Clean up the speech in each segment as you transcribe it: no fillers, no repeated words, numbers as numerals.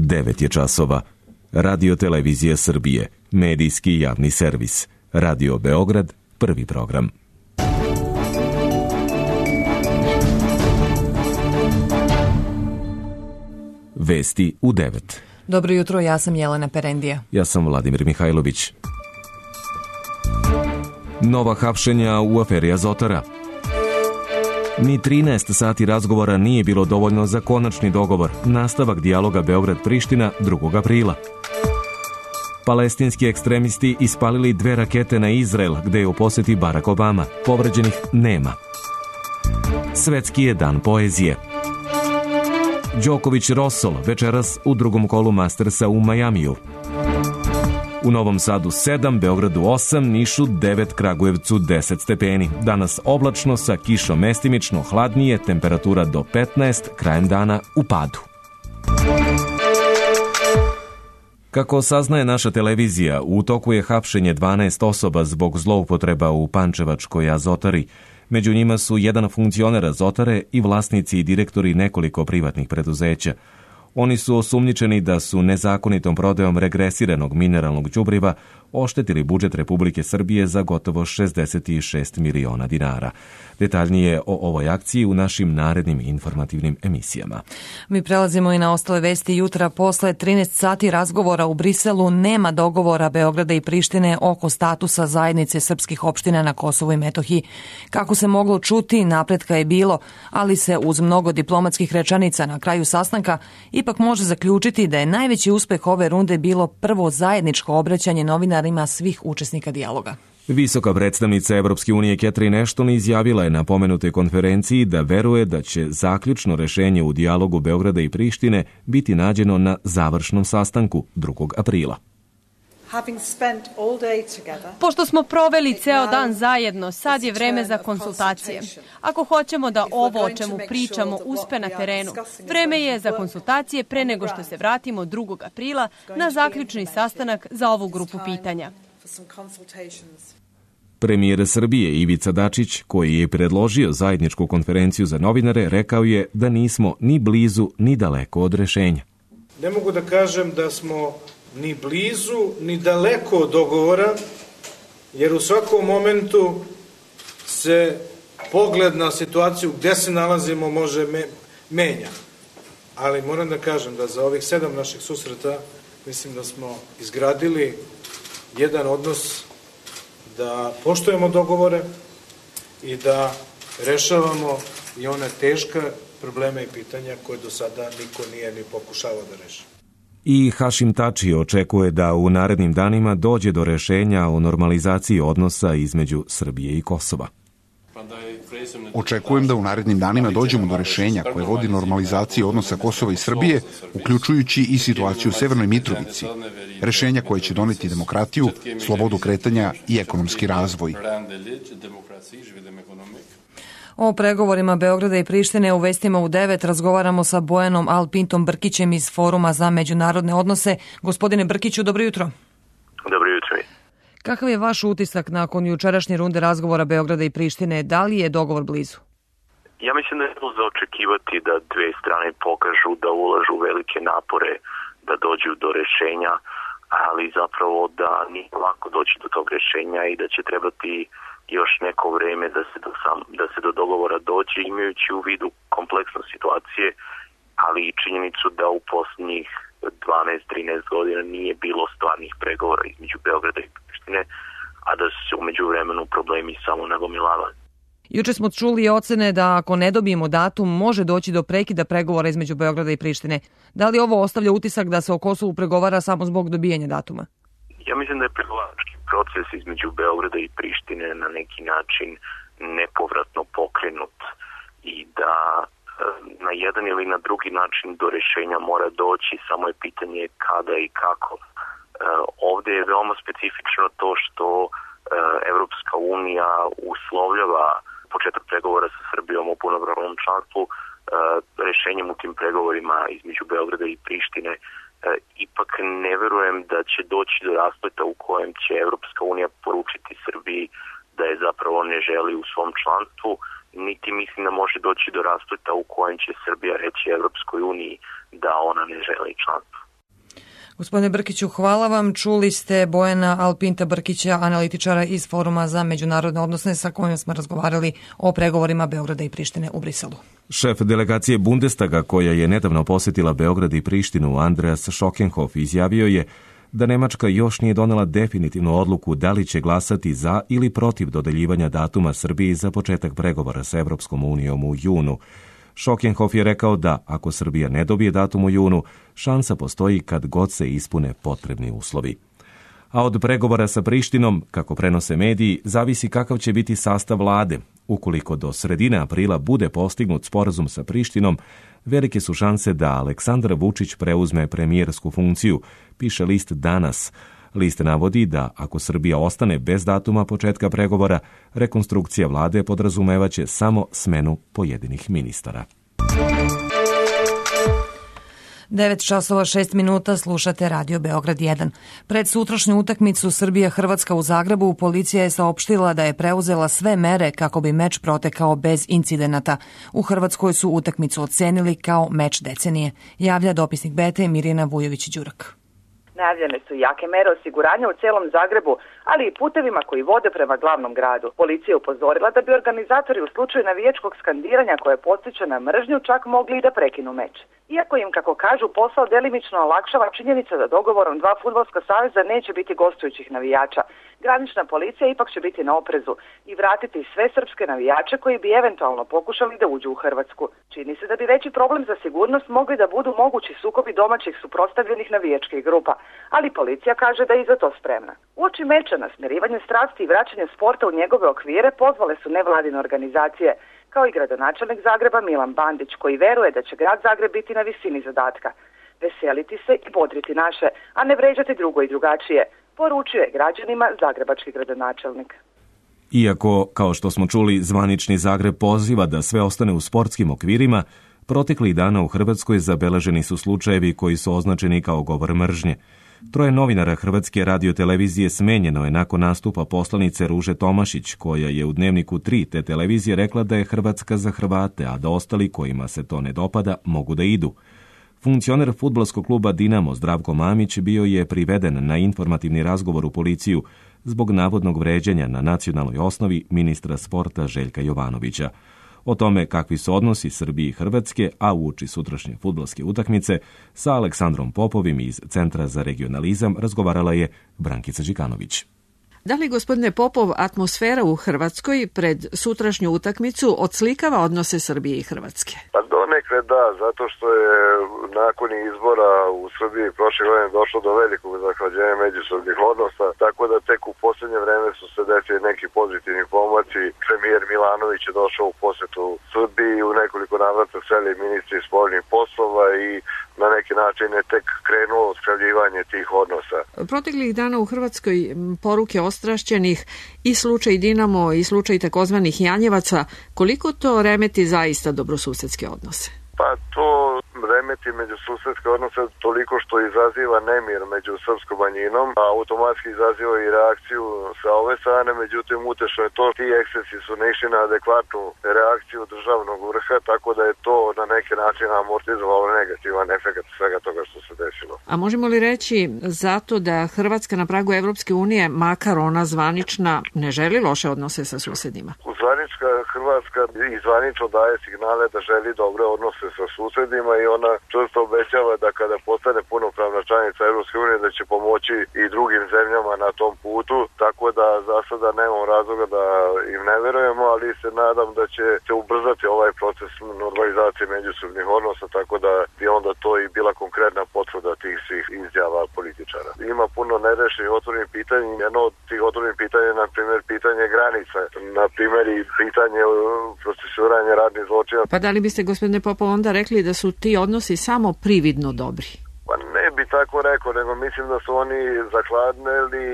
9 je časova. Radio Televizija Srbije, medijski javni servis. Radio Beograd, prvi program. Vesti u 9. Dobro jutro, ja sam Jelena Perendija. Ja sam Vladimir Mihajlović. Nova hapšenja u aferi Azotara. Ni 13 sati razgovora nije bilo dovoljno za konačni dogovor. Nastavak dijaloga Beograd-Priština 2. aprila. Palestinski ekstremisti ispalili 2 rakete na Izrael, gde je u poseti Barack Obama. Povređenih nema. Svetski je dan poezije. Đoković Rosol večeras u drugom kolu Mastersa u Majamiju. U Novom Sadu 7, Beogradu 8, Nišu 9, Kragujevcu 10 stepeni. Danas oblačno sa kišom mestimično, hladnije, temperatura do 15, krajem dana u padu. Kako saznaje naša televizija, u toku je hapšenje 12 osoba zbog zloupotreba u Pančevačkoj Azotari. Među njima su jedan funkcioner Azotare i vlasnici i direktori nekoliko privatnih preduzeća. Oni su osumnjičeni da su nezakonitom prodajom regresiranog mineralnog đubriva oštetili budžet Republike Srbije za gotovo 66 miliona dinara. Detaljnije o ovoj akciji u našim narednim informativnim emisijama. Mi prelazimo i na ostale vesti jutra. Posle 13 sati razgovora u Briselu nema dogovora Beograda i Prištine oko statusa zajednice srpskih opština na Kosovu i Metohiji. Kako se moglo čuti, napretka je bilo, ali se uz mnogo diplomatskih rečanica na kraju sastanka ipak može zaključiti da je najveći uspeh ove runde bilo prvo zajedničko obraćanje novinarima svih učesnika dijaloga. Visoka predstavnica Evropske unije Catherine Ashton izjavila je na pomenutoj konferenciji da veruje da će zaključno rešenje u dijalogu Beograda i Prištine biti nađeno na završnom sastanku 2. aprila. Pošto smo proveli ceo dan zajedno, sad je vreme za konsultacije. Ako hoćemo da ovo o čemu pričamo uspe na terenu, vreme je za konsultacije pre nego što se vratimo 2. aprila na zaključni sastanak za ovu grupu pitanja. Premijer Srbije Ivica Dačić, koji je predložio zajedničku konferenciju za novinare, rekao je da nismo ni blizu ni daleko od rešenja. Ne mogu da kažem da smo ni blizu ni daleko od dogovora, jer u svakom momentu se pogled na situaciju gde se nalazimo može menja. Ali moram da kažem da za ovih 7 naših susreta mislim da smo izgradili jedan odnos da poštujemo dogovore i da rešavamo i one teška probleme i pitanja koje do sada niko nije ni pokušavao da reši. I Hašim Tači očekuje da u narednim danima dođe do rešenja o normalizaciji odnosa između Srbije i Kosova. Očekujem da u narednim danima dođemo do rešenja koje vodi normalizaciji odnosa Kosova i Srbije, uključujući i situaciju u Severnoj Mitrovici. Rešenja koje će doneti demokratiju, slobodu kretanja i ekonomski razvoj. O pregovorima Beograda i Prištine u vestima u 9 razgovaramo sa Bojanom Alpintom Brkićem iz Foruma za međunarodne odnose. Gospodine Brkiću, dobro jutro. Dobro jutro. Kakav je vaš utisak nakon jučerašnje runde razgovora Beograda i Prištine? Da li je dogovor blizu? Ja mislim da je bilo za očekivati da dve strane pokažu da ulažu velike napore da dođu do rešenja, ali zapravo da nije lako doći do tog rešenja i da će trebati još neko vreme da se do dogovora dođe, imajući u vidu kompleksnu situacije, ali i činjenicu da u posljednjih 12-13 godina nije bilo stvarnih pregovora između Beograda i Prištine, a da su se u međuvremenu problemi samo nagomilavali. Juče smo čuli ocene da ako ne dobijemo datum, može doći do prekida pregovora između Beograda i Prištine. Da li ovo ostavlja utisak da se o Kosovu pregovara samo zbog dobijanja datuma? Ja mislim da je pregovarački proces između Beograda i Prištine na neki način nepovratno pokrenut i da na jedan ili na drugi način do rešenja mora doći, samo je pitanje kada i kako. Ovdje je veoma specifično to što Evropska unija uslovljava početak pregovora sa Srbijom o punopravnom članstvu rešenjem u tim pregovorima između Beograda i Prištine. Ipak ne verujem da će doći do raspleta u kojem će Evropska unija poručiti Srbiji da je zapravo ne želi u svom članstvu, niti mislim da može doći do raspleta u kojem će Srbija reći Evropskoj uniji da ona ne želi članstvo. Gospodine Brkiću, hvala vam. Čuli ste Bojana Alpinta Brkića, analitičara iz Foruma za međunarodne odnose, sa kojim smo razgovarali o pregovorima Beograda i Prištine u Briselu. Šef delegacije Bundestaga, koja je nedavno posjetila Beograd i Prištinu, Andreas Schockenhoff, izjavio je da Nemačka još nije donela definitivnu odluku da li će glasati za ili protiv dodeljivanja datuma Srbiji za početak pregovora sa Evropskom unijom u junu. Schockenhoff je rekao da, ako Srbija ne dobije datum u junu, šansa postoji kad god se ispune potrebni uslovi. A od pregovora sa Prištinom, kako prenose mediji, zavisi kakav će biti sastav vlade. Ukoliko do sredine aprila bude postignut sporazum sa Prištinom, velike su šanse da Aleksandar Vučić preuzme premijersku funkciju, piše list Danas. List navodi da, ako Srbija ostane bez datuma početka pregovora, rekonstrukcija vlade podrazumevaće samo smenu pojedinih ministara. 9:06 slušate Radio Beograd 1. Pred sutrašnju utakmicu Srbija-Hrvatska u Zagrebu policija je saopštila da je preuzela sve mere kako bi meč protekao bez incidenata. U Hrvatskoj su utakmicu ocenili kao meč decenije, javlja dopisnik BT Mirjana Vujović-Đurak. Najavljene su jake mere osiguranja u celom Zagrebu, ali i putevima koji vode prema glavnom gradu. Policija je upozorila da bi organizatori u slučaju navijačkog skandiranja koje podstiče na mržnju čak mogli i da prekinu meč. Iako im, kako kažu, posao delimično olakšava činjenica da dogovorom dva fudbalska saveza neće biti gostujućih navijača, granična policija ipak će biti na oprezu i vratiti sve srpske navijače koji bi eventualno pokušali da uđu u Hrvatsku. Čini se da bi veći problem za sigurnost mogli da budu mogući sukobi domaćih suprotstavljenih navijačkih grupa, ali policija kaže da je i za to spremna. Uoči meča na smirivanje strasti i vraćanje sporta u njegove okvire pozvale su nevladine organizacije, kao i gradonačelnik Zagreba Milan Bandić, koji veruje da će grad Zagreb biti na visini zadatka. Veseliti se i bodriti naše, a ne vređati drugo i drugačije, poručuje građanima zagrebački gradonačelnik. Iako, kao što smo čuli, zvanični Zagreb poziva da sve ostane u sportskim okvirima, proteklih dana u Hrvatskoj zabeleženi su slučajevi koji su označeni kao govor mržnje. 3 novinara Hrvatske radiotelevizije smenjeno je nakon nastupa poslanice Ruže Tomašić, koja je u Dnevniku 3 te televizije rekla da je Hrvatska za Hrvate, a da ostali kojima se to ne dopada mogu da idu. Funkcioner fudbalskog kluba Dinamo Zdravko Mamić bio je priveden na informativni razgovor u policiju zbog navodnog vređanja na nacionalnoj osnovi ministra sporta Željka Jovanovića. O tome kakvi su odnosi Srbije i Hrvatske, a uoči sutrašnje fudbalske utakmice, sa Aleksandrom Popovim iz Centra za regionalizam razgovarala je Brankica Đikanović. Da li, gospodine Popov, atmosfera u Hrvatskoj pred sutrašnju utakmicu odslikava odnose Srbije i Hrvatske? Pa donekle da, zato što je nakon izbora u Srbiji prošle godine došlo do velikog zahlađenja međusobnih odnosa, tako da tek u posljednje vreme su se desili neki pozitivni pomaci. Premijer Milanović je došao u posetu Srbiji, u nekoliko navrata seli ministri spoljnih poslova i na neki način je tek krenulo odskrivljivanje tih odnosa. Proteklih dana u Hrvatskoj poruke ostrašćenih i slučaj Dinamo i slučaj takozvanih Janjevaca, koliko to remeti zaista dobrosusedske odnose? Pa to remeti međususedske odnose toliko što izaziva nemir među srpskom manjinom, a automatski izaziva i reakciju sa ove strane, međutim utešno je to, ti ekscesi su naišli na adekvatnu reakciju državnog vrha, tako da je to na neki način amortizovalo negativan efekt svega toga što se desilo. A možemo li reći zato da Hrvatska na pragu Evropske unije, makar ona zvanična, ne želi loše odnose sa susedima? Zvanička Hrvatska i zvanično daje signale da želi dobre odnose sa susedima i ona često obećava da kada postane punopravna članica Evropske unije da će pomoći i drugim zemljama na tom putu, tako da za sada nemamo razloga da im ne verujemo, ali se nadam da će se ubrzati ovaj proces normalizacije međusobnih odnosa, tako da bi onda to i bila konkretna potvrda tih svih izjava političara. Ima puno nerešenih otvorenih pitanja, jedno od tih otvorenih pitanja je na primjer pitanje granica, na primjer i pitanje procesuiranja radnih zločina. Pa da li biste, gospodine Popov, onda rekli da su ti odnosi samo prividno dobri? Pa ne bi tako rekao, nego mislim da su oni zakladneli,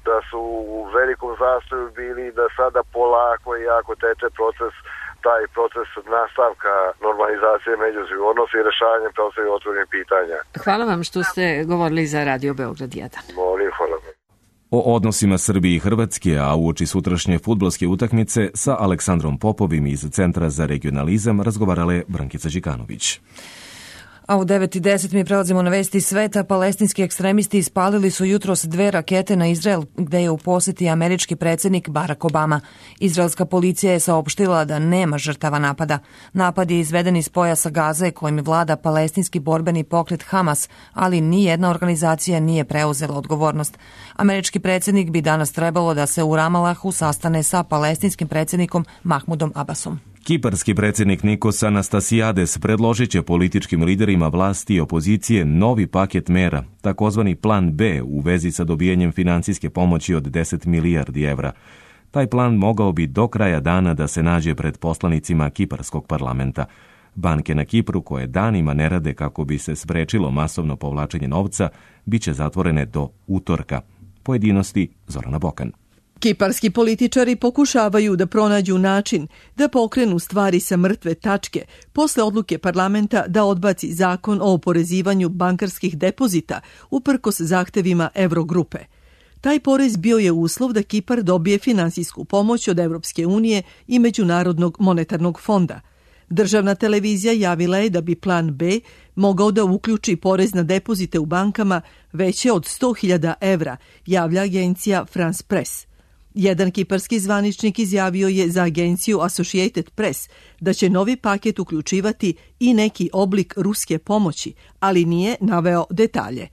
da su u velikom zastoju bili, da sada polako i jako teče taj proces nastavka normalizacije međusobnih odnosa i rešavanja preostalih otvorenih pitanja. Hvala vam što ste govorili za Radio Beograd 1. Molim, hvala vam. O odnosima Srbije i Hrvatske, a uoči sutrašnje fudbalske utakmice, sa Aleksandrom Popovim iz Centra za regionalizam razgovarala je Brankica Đikanović. A u 9:10 mi prelazimo na vesti sveta. Palestinski ekstremisti ispalili su jutros 2 rakete na Izrael, gde je u poseti američki predsjednik Barack Obama. Izraelska policija je saopštila da nema žrtava napada. Napad je izveden iz pojasa Gaze kojim vlada palestinski borbeni pokret Hamas, ali nijedna organizacija nije preuzela odgovornost. Američki predsjednik bi danas trebalo da se u Ramalahu sastane sa palestinskim predsjednikom Mahmudom Abbasom. Kiparski predsjednik Nikos Anastasiades predložit će političkim liderima vlasti i opozicije novi paket mera, takozvani plan B u vezi sa dobijanjem financijske pomoći od 10 milijardi evra. Taj plan mogao bi do kraja dana da se nađe pred poslanicima Kiparskog parlamenta. Banke na Kipru, koje danima ne rade kako bi se sprečilo masovno povlačenje novca, bit će zatvorene do utorka. Pojedinosti Zorana Bokan. Kiparski političari pokušavaju da pronađu način da pokrenu stvari sa mrtve tačke posle odluke parlamenta da odbaci zakon o oporezivanju bankarskih depozita uprkos zahtevima Evrogrupe. Taj porez bio je uslov da Kipar dobije finansijsku pomoć od Evropske unije i Međunarodnog monetarnog fonda. Državna televizija javila je da bi plan B mogao da uključi porez na depozite u bankama veće od 100.000 evra, javlja agencija France Press. Jedan kiparski zvaničnik izjavio je za agenciju Associated Press da će novi paket uključivati i neki oblik ruske pomoći, ali nije naveo detalje.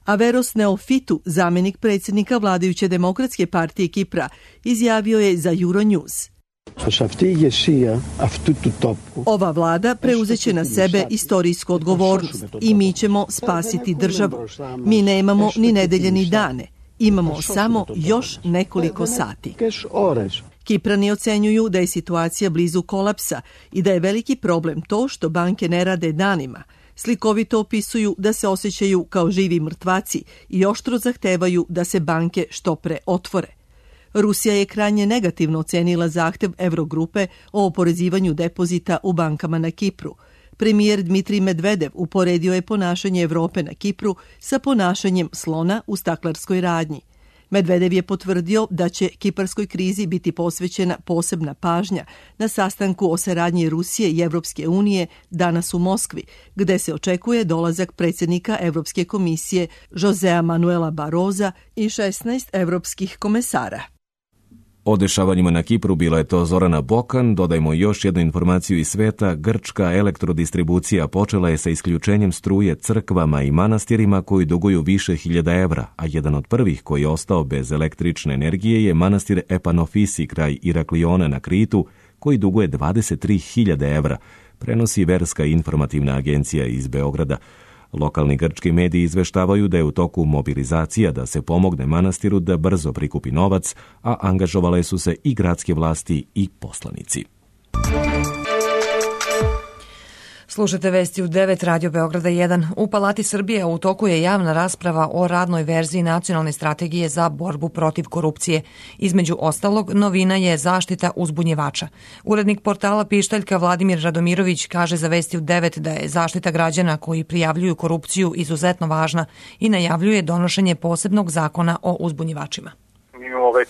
Averos Neofitu, zamenik predsjednika vladajuće demokratske partije Kipra, izjavio je za Euronews. Ova vlada preuzeće na sebe istorijsku odgovornost i mi ćemo spasiti državu. Mi nemamo ni nedelje ni dane. Imamo samo još nekoliko sati. Kiprani ocenjuju da je situacija blizu kolapsa i da je veliki problem to što banke ne rade danima. Slikovito opisuju da se osjećaju kao živi mrtvaci i oštro zahtevaju da se banke što pre otvore. Rusija je krajnje negativno ocenila zahtev Evrogrupe o oporezivanju depozita u bankama na Kipru. Premijer Dmitrij Medvedev uporedio je ponašanje Evrope na Kipru sa ponašanjem slona u staklarskoj radnji. Medvedev je potvrdio da će kiparskoj krizi biti posvećena posebna pažnja na sastanku o saradnji Rusije i Evropske unije danas u Moskvi, gde se očekuje dolazak predsjednika Evropske komisije Josea Manuela Barroza i 16 evropskih komesara. O dešavanjima na Kipru bila je to Zorana Bokan. Dodajmo još jednu informaciju iz sveta. Grčka elektrodistribucija počela je sa isključenjem struje crkvama i manastirima koji duguju više hiljada evra, a jedan od prvih koji je ostao bez električne energije je manastir Epanofisi kraj Irakliona na Kritu, koji duguje 23.000 evra, prenosi Verska informativna agencija iz Beograda. Lokalni grčki mediji izveštavaju da je u toku mobilizacija da se pomogne manastiru da brzo prikupi novac, a angažovale su se i gradske vlasti i poslanici. Slušajte vesti u 9 Radio Beograda 1. U Palati Srbije u toku je javna rasprava o radnoj verziji nacionalne strategije za borbu protiv korupcije. Između ostalog, novina je zaštita uzbunjivača. Urednik portala Pištaljka Vladimir Radomirović kaže za vesti u 9 da je zaštita građana koji prijavljuju korupciju izuzetno važna i najavljuje donošenje posebnog zakona o uzbunjivačima. Mi imamo već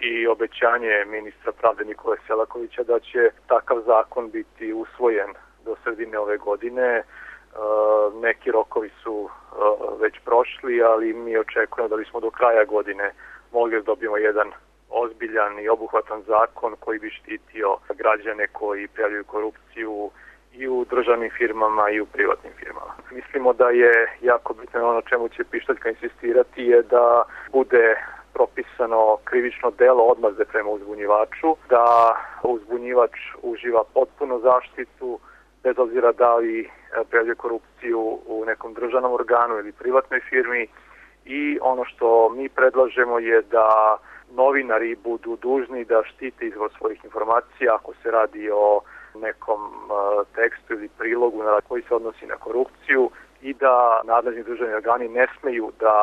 i obećanje ministra pravde Nikole Selakovića da će takav zakon biti usvojen do sredine ove godine. Neki rokovi su već prošli, ali mi očekujemo da bismo do kraja godine mogli da dobijemo jedan ozbiljan i obuhvatan zakon koji bi štitio građane koji prijavljuju korupciju i u državnim firmama i u privatnim firmama. Mislimo da je jako bitno ono čemu će Pištaljka insistirati je da bude propisano krivično delo odmazde prema uzbunjivaču, da uzbunjivač uživa potpunu zaštitu bez obzira da li prijavljuje korupciju u nekom državnom organu ili privatnoj firmi, i ono što mi predlažemo je da novinari budu dužni da štite izvor svojih informacija ako se radi o nekom tekstu ili prilogu koji se odnosi na korupciju, i da nadležni državni organi ne smeju da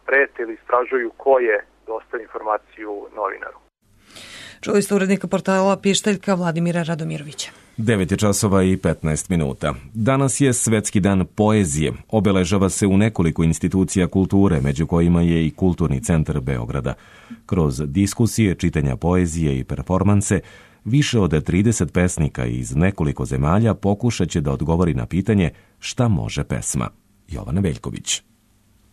prete ili istražuju ko je dostavio informaciju novinaru. Čuli ste urednika portala Pištaljka Vladimira Radomirovića. 9:15. Danas je Svetski dan poezije. Obeležava se u nekoliko institucija kulture, među kojima je i Kulturni centar Beograda. Kroz diskusije, čitanja poezije i performanse, više od 30 pesnika iz nekoliko zemalja pokušat će da odgovori na pitanje Šta može pesma? Jovana Veljković.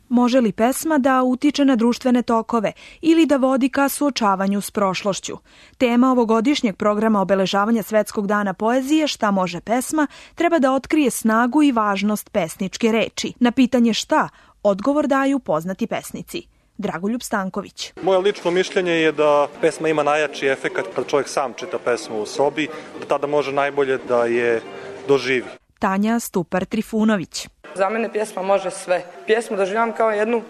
Može li pesma da utiče na društvene tokove ili da vodi ka suočavanju s prošlošću? Tema ovogodišnjeg programa obeležavanja Svetskog dana poezije Šta može pesma treba da otkrije snagu i važnost pesničke reči. Na pitanje šta, odgovor daju poznati pesnici. Dragoljub Stanković. Moje lično mišljenje je da pesma ima najjači efekat kad čovjek sam čita pesmu u sobi, da tada može najbolje da je doživi. Tanja Stupar Trifunović. Za mene pjesma može sve. Pjesmu doživljavam kao jednu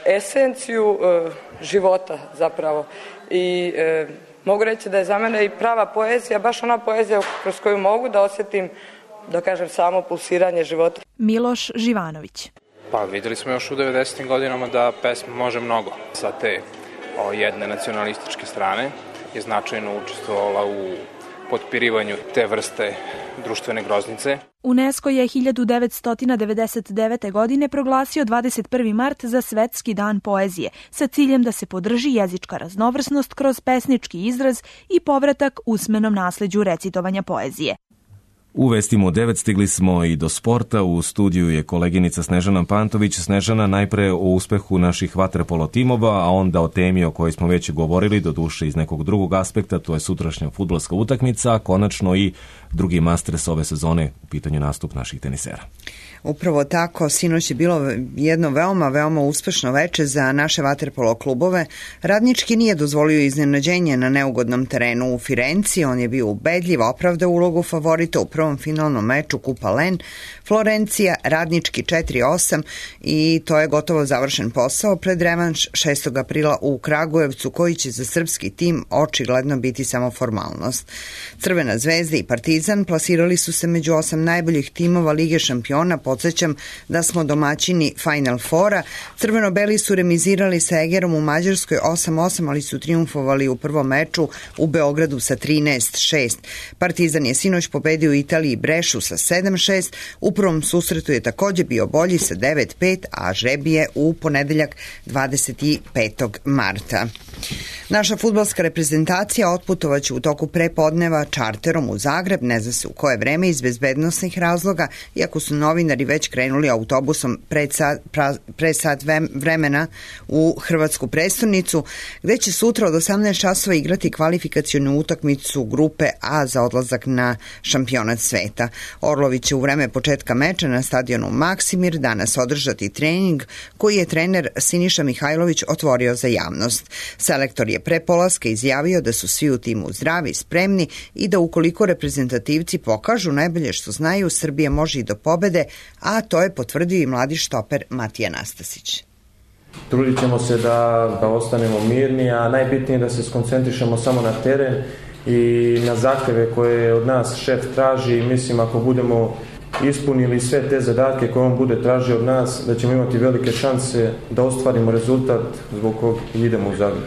esenciju života zapravo. I mogu reći da je za mene i prava poezija, baš ona poezija kroz koju mogu da osjetim, da kažem, samo pulsiranje života. Miloš Živanović. Pa videli smo još u 90. godinama da pesma može mnogo. Sa te jedne nacionalističke strane je značajno učestvovala u potpirivanju te vrste društvene groznice. UNESCO je 1999. godine proglasio 21. mart za Svetski dan poezije sa ciljem da se podrži jezička raznovrsnost kroz pesnički izraz i povratak usmenom nasleđu recitovanja poezije. U vestima u 9 stigli smo i do sporta. U studiju je koleginica Snežana Pantović. Snežana, najpre o uspehu naših vaterpolo timova, a onda o temi o kojoj smo već govorili, doduše iz nekog drugog aspekta, to je sutrašnja fudbalska utakmica, a konačno i drugi Masters ove sezone, u pitanju nastup naših tenisera. Upravo tako, sinoć je bilo jedno veoma uspešno veče za naše vaterpolo klubove. Radnički nije dozvolio iznenađenje na neugodnom terenu u Firenci, on je bio ubedljiv, opravdao ulogu favorita u prvom finalnom meču Kupa Len. Florencija, Radnički 4-8 i to je gotovo završen posao pred revanš 6. aprila u Kragujevcu, koji će za srpski tim očigledno biti samo formalnost. Crvena zvezda i Partizan plasirali su se među 8 najboljih timova Lige šampiona. Podsjećam da smo domaćini Final Fora. Crveno-beli su remizirali sa Egerom u Mađarskoj 8-8, ali su triumfovali u prvom meču u Beogradu sa 13-6. Partizan je sinoć pobedio u Italiji Brešu sa 7-6. U prvom susretu je takođe bio bolji sa 9-5, a žreb je u ponedeljak 25. marta. Naša fudbalska reprezentacija otputovaće u toku prepodneva čarterom u Zagreb, ne zna se u koje vreme, iz bezbednosnih razloga, iako su novinari već krenuli autobusom pre sat vremena u hrvatsku prestonicu, gde će sutra od 18 časova igrati kvalifikacionu utakmicu grupe A za odlazak na šampionat sveta. Orlovi će u vreme početka meča na stadionu Maksimir danas održati trening koji je trener Siniša Mihajlović otvorio za javnost. Selektor je pre polaska izjavio da su svi u timu zdravi, spremni i da ukoliko reprezentativci pokažu najbolje što znaju, Srbija može i do pobede, a to je potvrdio i mladi štoper Matija Nastasić. Trudit ćemo se da ostanemo mirni, a najbitnije je da se skoncentrišemo samo na teren i na zahteve koje od nas šef traži. Mislim, ako budemo ispunili sve te zadatke koje on bude tražio od nas, da ćemo imati velike šanse da ostvarimo rezultat zbog kog idemo u Zagreb.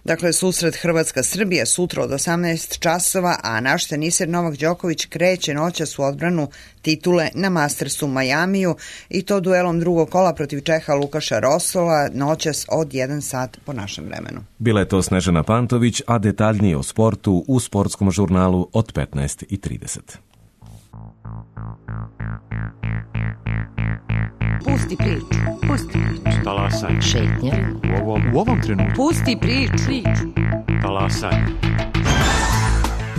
Dakle, susret Hrvatska-Srbija sutra od 18 časova, a naš teniser Novak Đoković kreće noćas u odbranu titule na Mastersu u Majamiju i to duelom drugog kola protiv Čeha Lukaša Rosola noćas od 1 sat po našem vremenu. Bila je to Snežana Pantović, a detaljnije o sportu u sportskom žurnalu od 15:30. Pusti priču. Talasaj. Šetnja. U ovom trenutku. Pusti priču. Talasaj.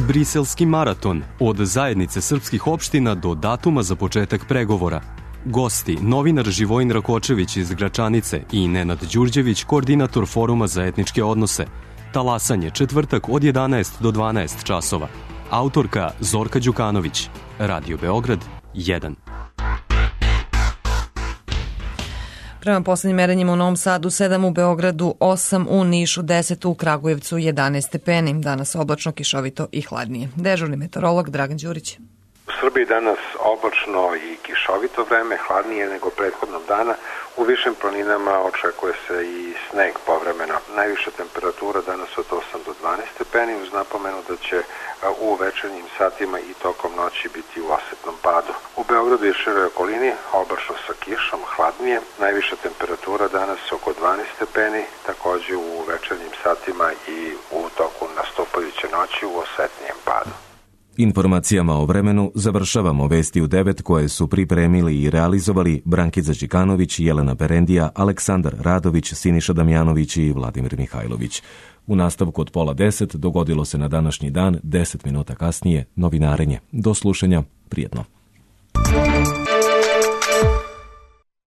Briselski maraton, od zajednice srpskih opština do datuma za početak pregovora. Gosti, novinar Živojin Rakočević iz Gračanice i Nenad Đurđević, koordinator Foruma za etničke odnose. Talasanje, četvrtak od 11 do 12 časova. Autorka Zorka Đukanović. Radio Beograd 1. Prema poslednjim merenjima u Novom Sadu 7, u Beogradu 8, u Nišu 10, u Kragujevcu 11 stepeni. Danas oblačno, kišovito i hladnije. Dežurni meteorolog Dragan Đurić. U Srbiji danas oblačno i kišovito vreme, hladnije nego prethodnog dana. U višim planinama očekuje se i sneg povremeno. Najviša temperatura danas od 8 do 12 stepeni, uz napomenu da će u večernjim satima i tokom noći biti u osetnom padu. U Beogradu i široj okolini oblačno sa kišom, hladnije. Najviša temperatura danas oko 12 stepeni, takođe u večernjim satima i u toku nastupajuće noći u osetnijem padu. Informacijama o vremenu završavamo vesti u 9 koje su pripremili i realizovali Brankica Đikanović, Jelena Perendija, Aleksandar Radović, Siniša Damjanović i Vladimir Mihajlović. U nastavku od 9:30 dogodilo se na današnji dan, 10 minuta kasnije, novinarenje. Do slušanja, prijetno.